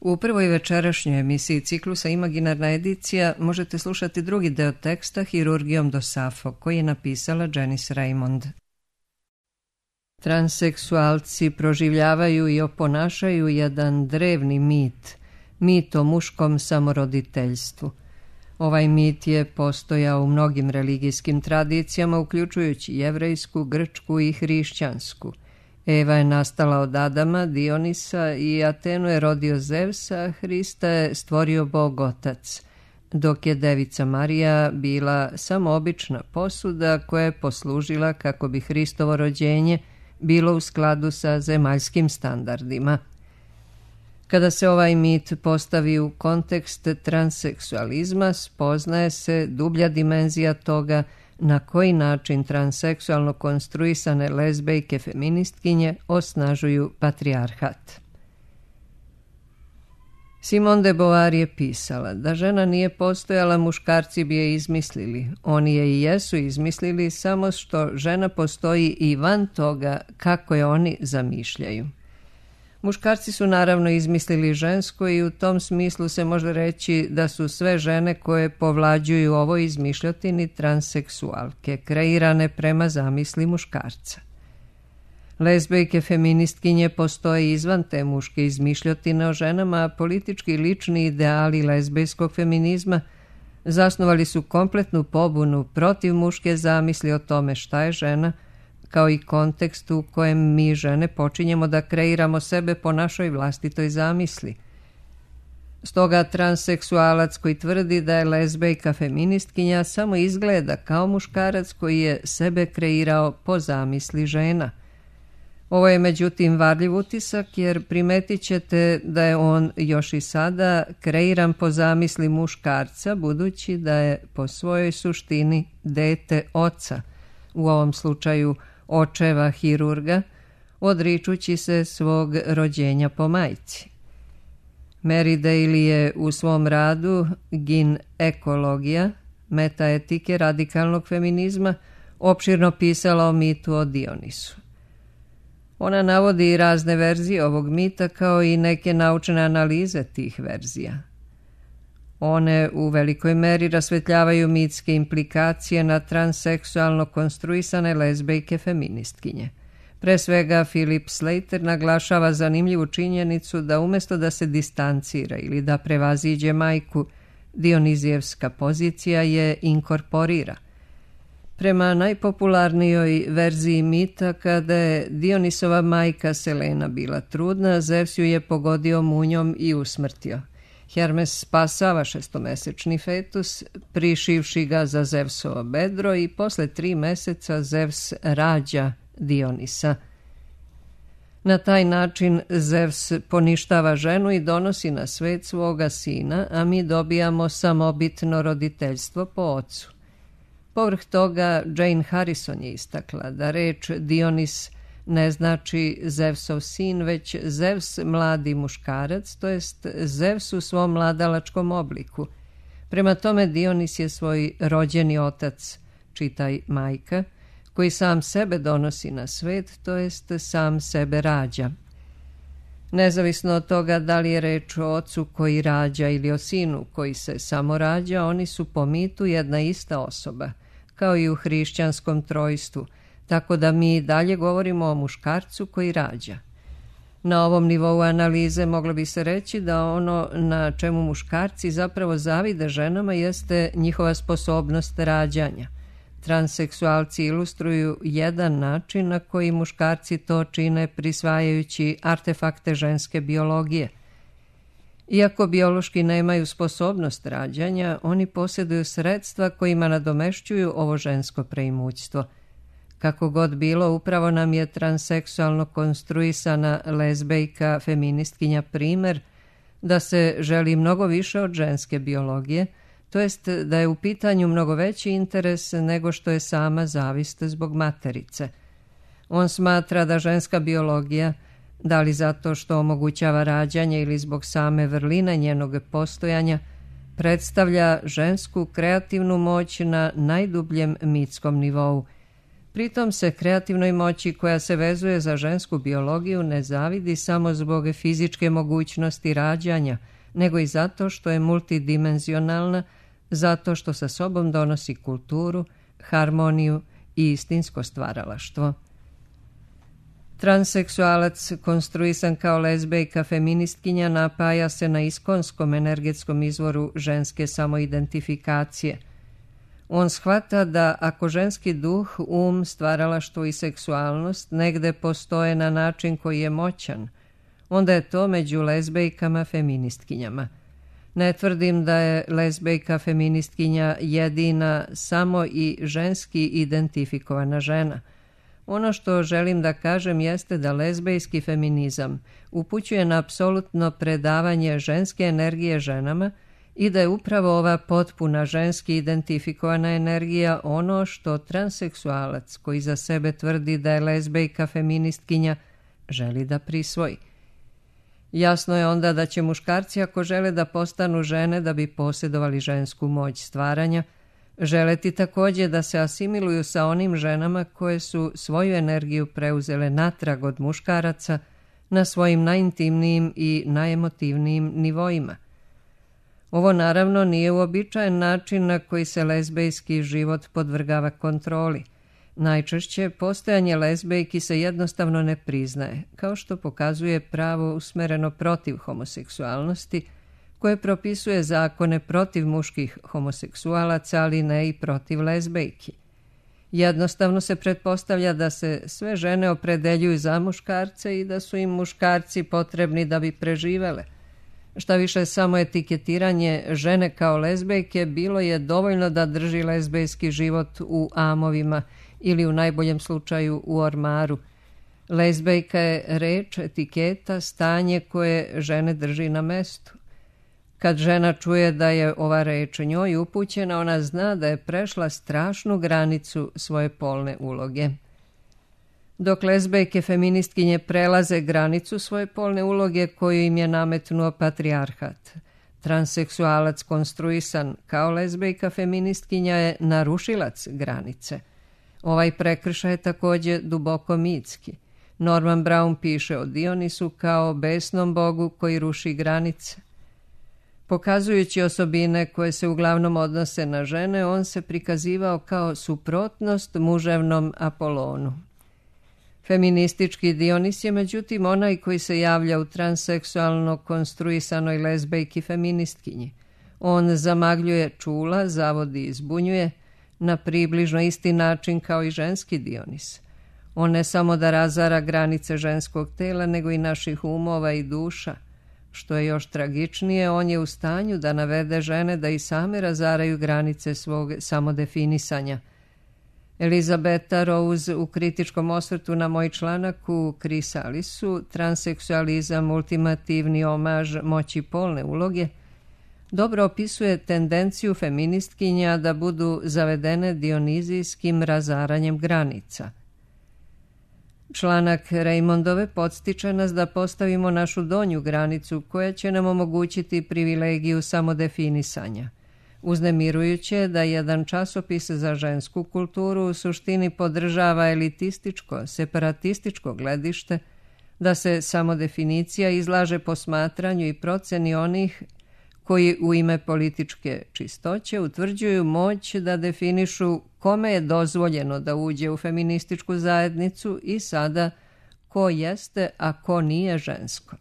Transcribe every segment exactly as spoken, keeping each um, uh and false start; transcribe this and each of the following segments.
U prvoj večerašnjoj emisiji ciklusa Imaginarna edicija možete slušati drugi deo teksta Hirurgijom do Safo, koji je napisala Janice Raymond. Transseksualci proživljavaju i oponašaju jedan drevni mit, mit o muškom samoroditeljstvu. Ovaj mit je postojao u mnogim religijskim tradicijama, uključujući jevrejsku, grčku i hrišćansku. Eva je nastala od Adama, Dionisa i Atenu je rodio Zevsa, Hrista je stvorio Bog Otac, dok je Devica Marija bila samo obična posuda koja je poslužila kako bi Hristovo rođenje bilo u skladu sa zemaljskim standardima. Kada se ovaj mit postavi u kontekst transseksualizma, spoznaje se dublja dimenzija toga na koji način transseksualno konstruisane lezbejke feministkinje osnažuju patrijarhat. Simone de Beauvoir je pisala da žena nije postojala, muškarci bi je izmislili. Oni je i jesu izmislili, samo što žena postoji i van toga kako je oni zamišljaju. Muškarci su naravno izmislili žensko i u tom smislu se može reći da su sve žene koje povlađuju ovoj izmišljotini transseksualke, kreirane prema zamisli muškarca. Lezbejke feministkinje postoje izvan te muške izmišljotine o ženama, a politički lični ideali lezbejskog feminizma zasnovali su kompletnu pobunu protiv muške zamisli o tome šta je žena, kao i kontekst u kojem mi žene počinjemo da kreiramo sebe po našoj vlastitoj zamisli. Stoga transseksualac koji tvrdi da je lezbejka feministkinja samo izgleda kao muškarac koji je sebe kreirao po zamisli žena. Ovo je međutim varljiv utisak, jer primetit ćete da je on još i sada kreiran po zamisli muškarca, budući da je po svojoj suštini dete oca, u ovom slučaju očeva hirurga, odričući se svog rođenja po majci. Mary Daly je u svom radu Ginekologija, metaetike radikalnog feminizma, opširno pisala o mitu o Dionisu. Ona navodi i razne verzije ovog mita, kao i neke naučne analize tih verzija. One u velikoj meri rasvetljavaju mitske implikacije na transseksualno konstruisane lezbejke feministkinje. Pre svega, Philip Slater naglašava zanimljivu činjenicu da umjesto da se distancira ili da prevaziđe majku, Dionizijevska pozicija je inkorporira. Prema najpopularnijoj verziji mita, kada je Dionisova majka Selena bila trudna, Zevs ju je pogodio munjom i usmrtio. Hermes spasava šestomesečni fetus, prišivši ga za Zevsovo bedro, i posle tri meseca Zevs rađa Dionisa. Na taj način Zevs poništava ženu i donosi na svet svoga sina, a mi dobijamo samobitno roditeljstvo po ocu. Povrh toga, Jane Harrison je istakla da reč Dionis ne znači Zevsov sin, već Zevs mladi muškarac, to jest Zevs u svom mladalačkom obliku. Prema tome, Dionis je svoj rođeni otac, čitaj majka, koji sam sebe donosi na svet, to jest sam sebe rađa. Nezavisno od toga da li je reč o ocu koji rađa ili o sinu koji se samo rađa, oni su po mitu jedna ista osoba, kao i u hrišćanskom trojstvu, tako da mi dalje govorimo o muškarcu koji rađa. Na ovom nivou analize moglo bi se reći da ono na čemu muškarci zapravo zavide ženama jeste njihova sposobnost rađanja. Transseksualci ilustruju jedan način na koji muškarci to čine prisvajajući artefakte ženske biologije. Iako biološki nemaju sposobnost rađanja, oni posjeduju sredstva kojima nadomešćuju ovo žensko preimućstvo. Kako god bilo, upravo nam je transseksualno konstruisana lezbejka feministkinja primer da se želi mnogo više od ženske biologije, to jest da je u pitanju mnogo veći interes nego što je sama zavist zbog materice. On smatra da ženska biologija, da li zato što omogućava rađanje ili zbog same vrline njenog postojanja, predstavlja žensku kreativnu moć na najdubljem mitskom nivou, Pritom se kreativnoj moći koja se vezuje za žensku biologiju ne zavidi samo zbog fizičke mogućnosti rađanja, nego i zato što je multidimenzionalna, zato što sa sobom donosi kulturu, harmoniju i istinsko stvaralaštvo. Transseksualac, konstruisan kao lezbejka feministkinja, napaja se na iskonskom energetskom izvoru ženske samoidentifikacije. On shvata da ako ženski duh, um, stvaralaštvo i seksualnost negde postoje na način koji je moćan, onda je to među lezbejkama feministkinjama. Ne tvrdim da je lezbejka feministkinja jedina, samo i ženski identifikovana žena. Ono što želim da kažem jeste da lezbejski feminizam upućuje na apsolutno predavanje ženske energije ženama i da je upravo ova potpuna ženski identifikovana energija ono što transseksualac koji za sebe tvrdi da je lezbejka feministkinja želi da prisvoji. Jasno je onda da će muškarci, ako žele da postanu žene da bi posjedovali žensku moć stvaranja, želeti također da se asimiluju sa onim ženama koje su svoju energiju preuzele natrag od muškaraca na svojim najintimnijim i najemotivnijim nivoima. Ovo naravno nije uobičajen način na koji se lezbejski život podvrgava kontroli. Najčešće postojanje lezbejki se jednostavno ne priznaje, kao što pokazuje pravo usmereno protiv homoseksualnosti, koje propisuje zakone protiv muških homoseksualaca, ali ne i protiv lezbejki. Jednostavno se pretpostavlja da se sve žene opredeljuju za muškarce i da su im muškarci potrebni da bi preživele. Šta više, samo etiketiranje žene kao lezbejke bilo je dovoljno da drži lezbejski život u amovima ili u najboljem slučaju u ormaru. Lezbejka je reč, etiketa, stanje koje žene drži na mestu. Kad žena čuje da je ova reč njoj upućena, ona zna da je prešla strašnu granicu svoje polne uloge. Dok lezbejke feministkinje prelaze granicu svoje polne uloge koju im je nametnuo patrijarhat, transseksualac konstruisan kao lezbejka feministkinja je narušilac granice. Ovaj prekršaj je također duboko mitski. Norman Brown piše o Dionisu kao besnom bogu koji ruši granice. Pokazujući osobine koje se uglavnom odnose na žene, on se prikazivao kao suprotnost muževnom Apolonu. Feministički Dionis je međutim onaj koji se javlja u transseksualno konstruisanoj lezbejki feministkinji. On zamagljuje čula, zavodi i zbunjuje na približno isti način kao i ženski Dionis. On ne samo da razara granice ženskog tela, nego i naših umova i duša. Što je još tragičnije, on je u stanju da navede žene da i same razaraju granice svog samodefinisanja. Elizabeta Rose u kritičkom osvrtu na moj članak u Krisalisu, transseksualizam, ultimativni omaž moći polne uloge, dobro opisuje tendenciju feministkinja da budu zavedene dionizijskim razaranjem granica. Članak Raymondove podstiče nas da postavimo našu donju granicu koja će nam omogućiti privilegiju samodefinisanja. Uznemirujuće je da jedan časopis za žensku kulturu u suštini podržava elitističko, separatističko gledište, da se samodefinicija izlaže posmatranju i proceni onih koji u ime političke čistoće utvrđuju moć da definišu kome je dozvoljeno da uđe u feminističku zajednicu i sada ko jeste, a ko nije žensko.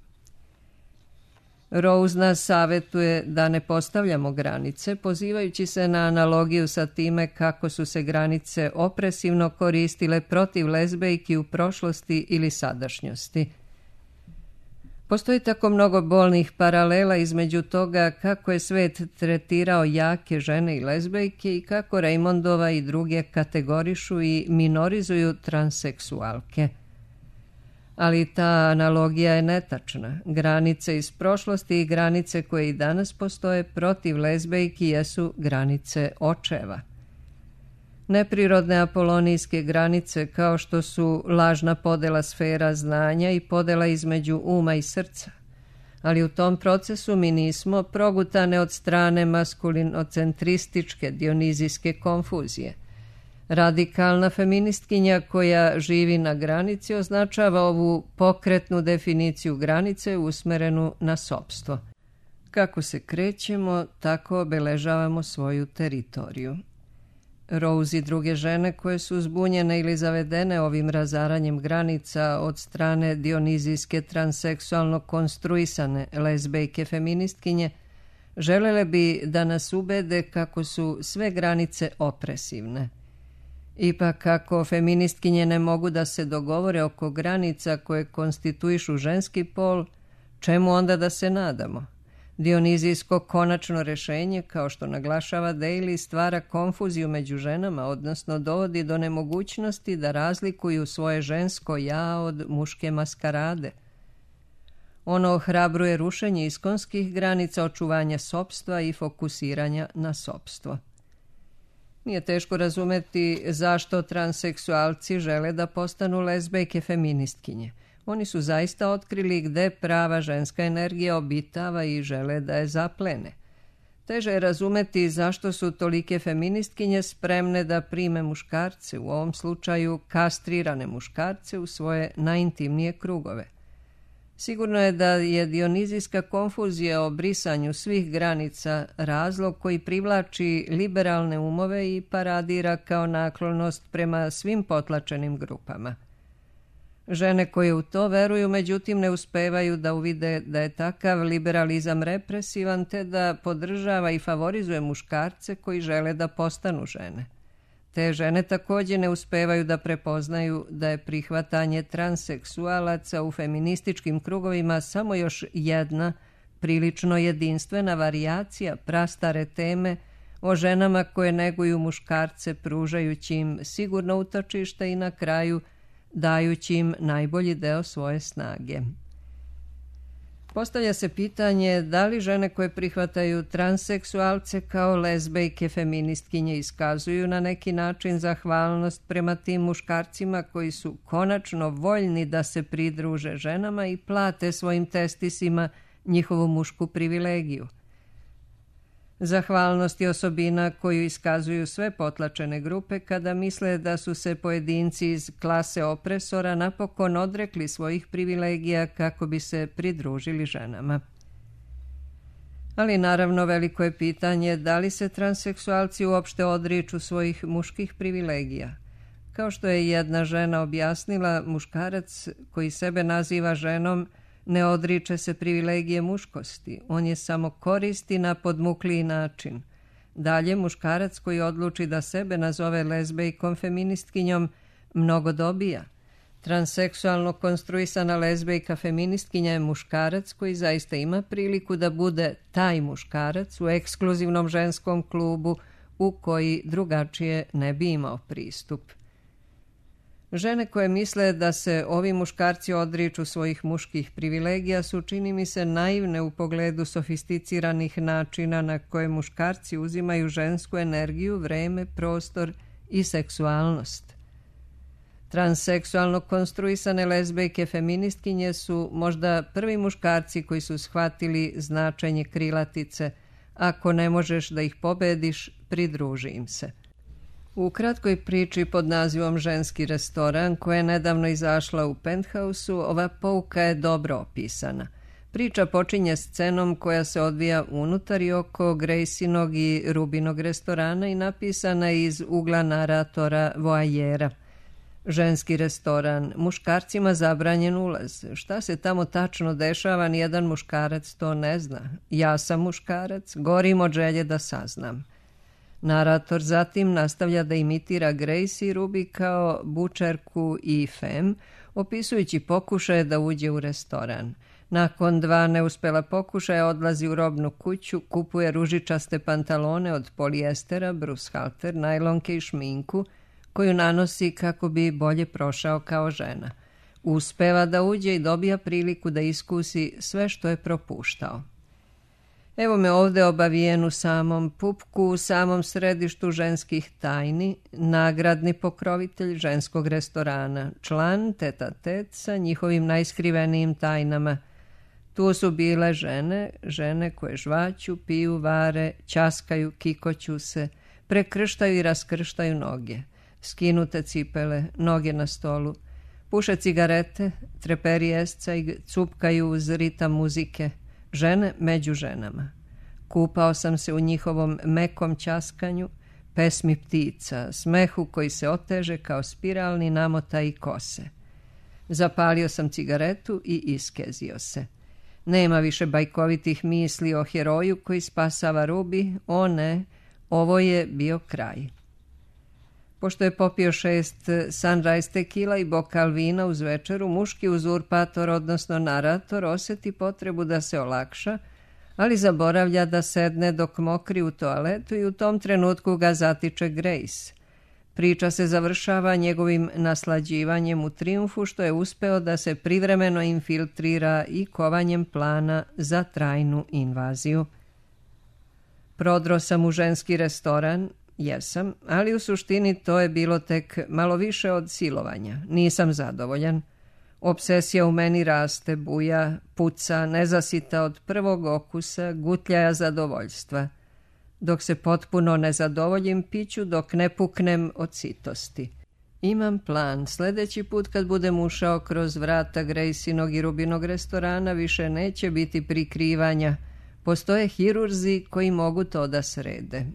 Rose nas savjetuje da ne postavljamo granice, pozivajući se na analogiju sa time kako su se granice opresivno koristile protiv lezbejki u prošlosti ili sadašnjosti. Postoji tako mnogo bolnih paralela između toga kako je svet tretirao jake žene i lezbejke i kako Raymondova i druge kategorišu i minorizuju transseksualke. Ali ta analogija je netačna. Granice iz prošlosti i granice koje i danas postoje protiv lezbejki jesu granice očeva. Neprirodne apolonijske granice kao što su lažna podela sfera znanja i podela između uma i srca. Ali u tom procesu mi nismo progutane od strane maskulinocentrističke dionizijske konfuzije. Radikalna feministkinja koja živi na granici označava ovu pokretnu definiciju granice usmerenu na sopstvo. Kako se krećemo, tako obeležavamo svoju teritoriju. Rose i druge žene koje su zbunjene ili zavedene ovim razaranjem granica od strane dionizijske transseksualno konstruisane lezbejke feministkinje želele bi da nas ubede kako su sve granice opresivne. Ipak kako feministkinje ne mogu da se dogovore oko granica koje konstituišu ženski pol, čemu onda da se nadamo? Dionizijsko konačno rešenje, kao što naglašava Daly, stvara konfuziju među ženama, odnosno dovodi do nemogućnosti da razlikuju svoje žensko ja od muške maskarade. Ono ohrabruje rušenje iskonskih granica očuvanja sopstva i fokusiranja na sopstvo. Nije teško razumeti zašto transseksualci žele da postanu lezbejke feministkinje. Oni su zaista otkrili gde prava ženska energija obitava i žele da je zaplene. Teže je razumeti zašto su tolike feministkinje spremne da prime muškarce, u ovom slučaju kastrirane muškarce, u svoje najintimnije krugove. Sigurno je da je dionizijska konfuzija o brisanju svih granica razlog koji privlači liberalne umove i paradira kao naklonost prema svim potlačenim grupama. Žene koje u to veruju, međutim, ne uspevaju da uvide da je takav liberalizam represivan te da podržava i favorizuje muškarce koji žele da postanu žene. Te žene također ne uspevaju da prepoznaju da je prihvatanje transseksualaca u feminističkim krugovima samo još jedna, prilično jedinstvena varijacija prastare teme o ženama koje neguju muškarce pružajući im sigurno utočište i na kraju dajući im najbolji deo svoje snage. Postavlja se pitanje da li žene koje prihvataju transseksualce kao lezbejke feministkinje iskazuju na neki način zahvalnost prema tim muškarcima koji su konačno voljni da se pridruže ženama i plate svojim testisima njihovu mušku privilegiju. Zahvalnost je osobina koju iskazuju sve potlačene grupe kada misle da su se pojedinci iz klase opresora napokon odrekli svojih privilegija kako bi se pridružili ženama. Ali naravno veliko je pitanje da li se transseksualci uopšte odriču svojih muških privilegija. Kao što je jedna žena objasnila, muškarac koji sebe naziva ženom ne odriče se privilegije muškosti, on je samo koristi na podmukliji način. Dalje, muškarac koji odluči da sebe nazove lezbejkom feministkinjom mnogo dobija. Transseksualno konstruisana lezbejka feministkinja je muškarac koji zaista ima priliku da bude taj muškarac u ekskluzivnom ženskom klubu u koji drugačije ne bi imao pristup. Žene koje misle da se ovi muškarci odriču svojih muških privilegija su, čini mi se, naivne u pogledu sofisticiranih načina na koje muškarci uzimaju žensku energiju, vreme, prostor i seksualnost. Transseksualno konstruisane lezbejke feministkinje su možda prvi muškarci koji su shvatili značenje krilatice "ako ne možeš da ih pobediš, pridruži im se". U kratkoj priči pod nazivom Ženski restoran, koja je nedavno izašla u Penthouse-u, ova pouka je dobro opisana. Priča počinje scenom koja se odvija unutar i oko Graceinog i Rubinog restorana i napisana je iz ugla naratora voajera. Ženski restoran, muškarcima zabranjen ulaz. Šta se tamo tačno dešava, nijedan muškarac to ne zna. Ja sam muškarac, gorim od želje da saznam. Narator zatim nastavlja da imitira Grace i Ruby kao bučerku i fem, opisujući pokušaje da uđe u restoran. Nakon dva neuspela pokušaja odlazi u robnu kuću, kupuje ružičaste pantalone od polijestera, brushalter, najlonke i šminku, koju nanosi kako bi bolje prošao kao žena. Uspeva da uđe i dobija priliku da iskusi sve što je propuštao. Evo me ovde obavijen u samom pupku, u samom središtu ženskih tajni, nagradni pokrovitelj ženskog restorana, član teta-tet sa njihovim najskrivenijim tajnama. Tu su bile žene, žene koje žvaću, piju, vare, ćaskaju, kikoću se, prekrštaju i raskrštaju noge. skinute cipele, noge na stolu. Puše cigarete, treperi escajg, cupkaju uz ritam muzike, žene među ženama. Kupao sam se u njihovom mekom ćaskanju, pesmi ptica, smehu koji se oteže kao spiralni namotaji kose. Zapalio sam cigaretu i iskezio se. Nema više bajkovitih misli o heroju koji spasava Ruby, o ne, ovo je bio kraj. Pošto je popio šest Sunrise tekila i bokal vina uz večeru, muški uzurpator, odnosno narator, osjeti potrebu da se olakša, ali zaboravlja da sedne dok mokri u toaletu i u tom trenutku ga zatiče Grace. Priča se završava njegovim naslađivanjem u trijumfu što je uspeo da se privremeno infiltrira i kovanjem plana za trajnu invaziju. Prodro sam u ženski restoran, jesam, ali u suštini to je bilo tek malo više od silovanja. Nisam zadovoljan. Obsesija u meni raste, buja, puca, nezasita od prvog okusa, gutljaja zadovoljstva. Dok se potpuno ne zadovoljim piću, dok ne puknem od sitosti. Imam plan. Sljedeći put kad budem ušao kroz vrata Graceinog i Rubinog restorana više neće biti prikrivanja. Postoje hirurzi koji mogu to da srede.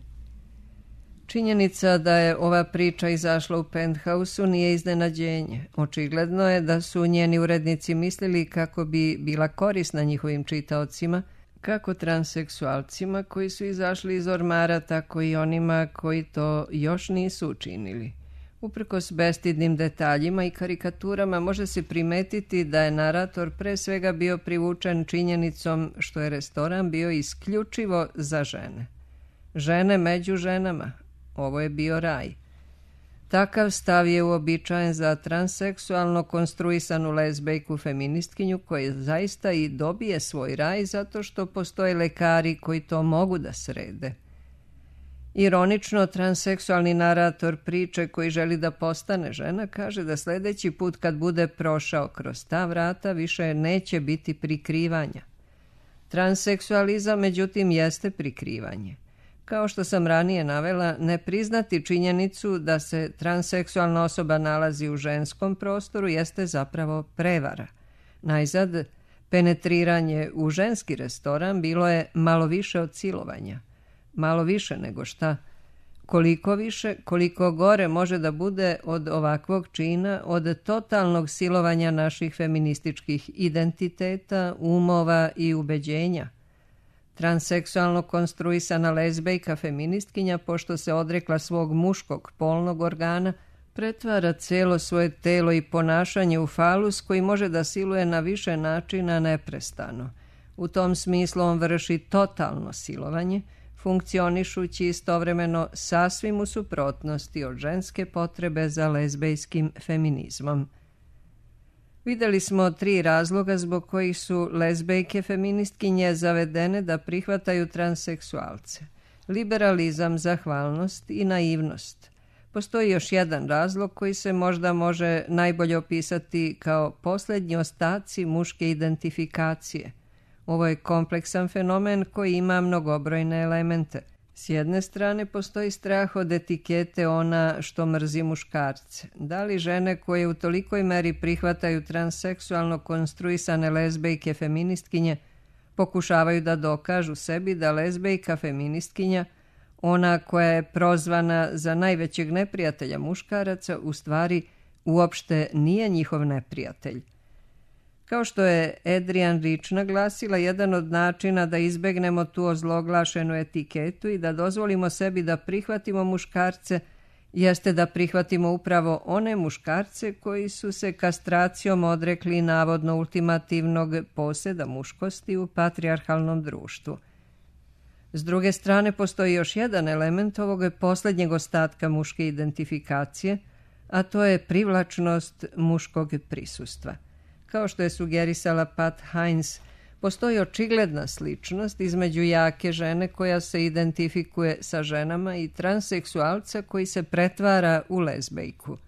Činjenica da je ova priča izašla u Penthouse-u nije iznenađenje. Očigledno je da su njeni urednici mislili kako bi bila korisna njihovim čitaocima, kako transseksualcima koji su izašli iz ormara, tako i onima koji to još nisu učinili. Uprkos bestidnim detaljima i karikaturama može se primetiti da je narator pre svega bio privučen činjenicom što je restoran bio isključivo za žene. Žene među ženama. Ovo je bio raj. Takav stav je uobičajen za transseksualno konstruisanu lezbejku feministkinju koja zaista i dobije svoj raj zato što postoje lekari koji to mogu da srede. Ironično, transseksualni narator priče koji želi da postane žena kaže da sljedeći put kad bude prošao kroz ta vrata više neće biti prikrivanja. Transseksualizam međutim jeste prikrivanje. Kao što sam ranije navela, ne priznati činjenicu da se transseksualna osoba nalazi u ženskom prostoru jeste zapravo prevara. Najzad, penetriranje u ženski restoran bilo je malo više od silovanja. Malo više nego šta? Koliko više, koliko gore može da bude od ovakvog čina, od totalnog silovanja naših feminističkih identiteta, umova i ubeđenja. Transseksualno konstruisana lezbejka feministkinja, pošto se odrekla svog muškog polnog organa, pretvara cijelo svoje telo i ponašanje u falus koji može da siluje na više načina neprestano. U tom smislu on vrši totalno silovanje, funkcionišući istovremeno sasvim u suprotnosti od ženske potrebe za lezbejskim feminizmom. Vidjeli smo tri razloga zbog kojih su lezbejke feministkinje zavedene da prihvataju transseksualce. Liberalizam, zahvalnost i naivnost. Postoji još jedan razlog koji se možda može najbolje opisati kao posljednji ostaci muške identifikacije. Ovo je kompleksan fenomen koji ima mnogobrojne elemente. S jedne strane postoji strah od etikete ona što mrzi muškarce. Da li žene koje u tolikoj meri prihvataju transseksualno konstruisane lezbejke feministkinje pokušavaju da dokažu sebi da lezbejka feministkinja, ona koja je prozvana za najvećeg neprijatelja muškaraca, u stvari uopšte nije njihov neprijatelj. Kao što je Adrienne Rich naglasila, jedan od načina da izbegnemo tu ozloglašenu etiketu i da dozvolimo sebi da prihvatimo muškarce jeste da prihvatimo upravo one muškarce koji su se kastracijom odrekli navodno ultimativnog poseda muškosti u patrijarhalnom društvu. S druge strane, postoji još jedan element ovog posljednjeg ostatka muške identifikacije, a to je privlačnost muškog prisustva. Kao što je sugerisala Pat Hines, postoji očigledna sličnost između jake žene koja se identifikuje sa ženama i transseksualca koji se pretvara u lezbejku.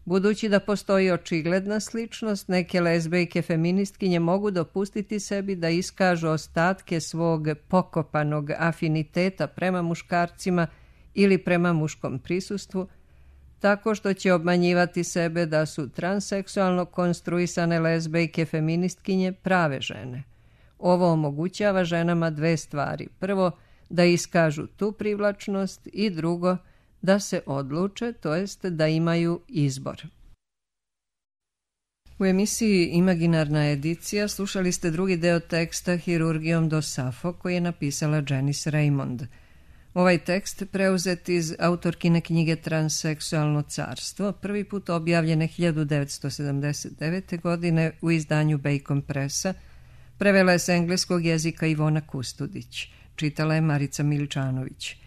Budući da postoji očigledna sličnost, neke lezbejke feministkinje mogu dopustiti sebi da iskažu ostatke svog pokopanog afiniteta prema muškarcima ili prema muškom prisustvu, tako što će obmanjivati sebe da su transseksualno konstruisane lezbejke feministkinje prave žene. Ovo omogućava ženama dve stvari. Prvo, da iskažu tu privlačnost i drugo, da se odluče, to jest da imaju izbor. U emisiji Imaginarna edicija slušali ste drugi deo teksta Hirurgijom do Safo koji je napisala Janice Raymond. Ovaj tekst preuzet iz autorkine knjige Transseksualno carstvo, prvi put objavljene hiljadu devetsto sedamdeset devete. godine u izdanju Bacon Pressa, prevela je s engleskog jezika Ivona Kustudić, čitala je Marica Miličanović.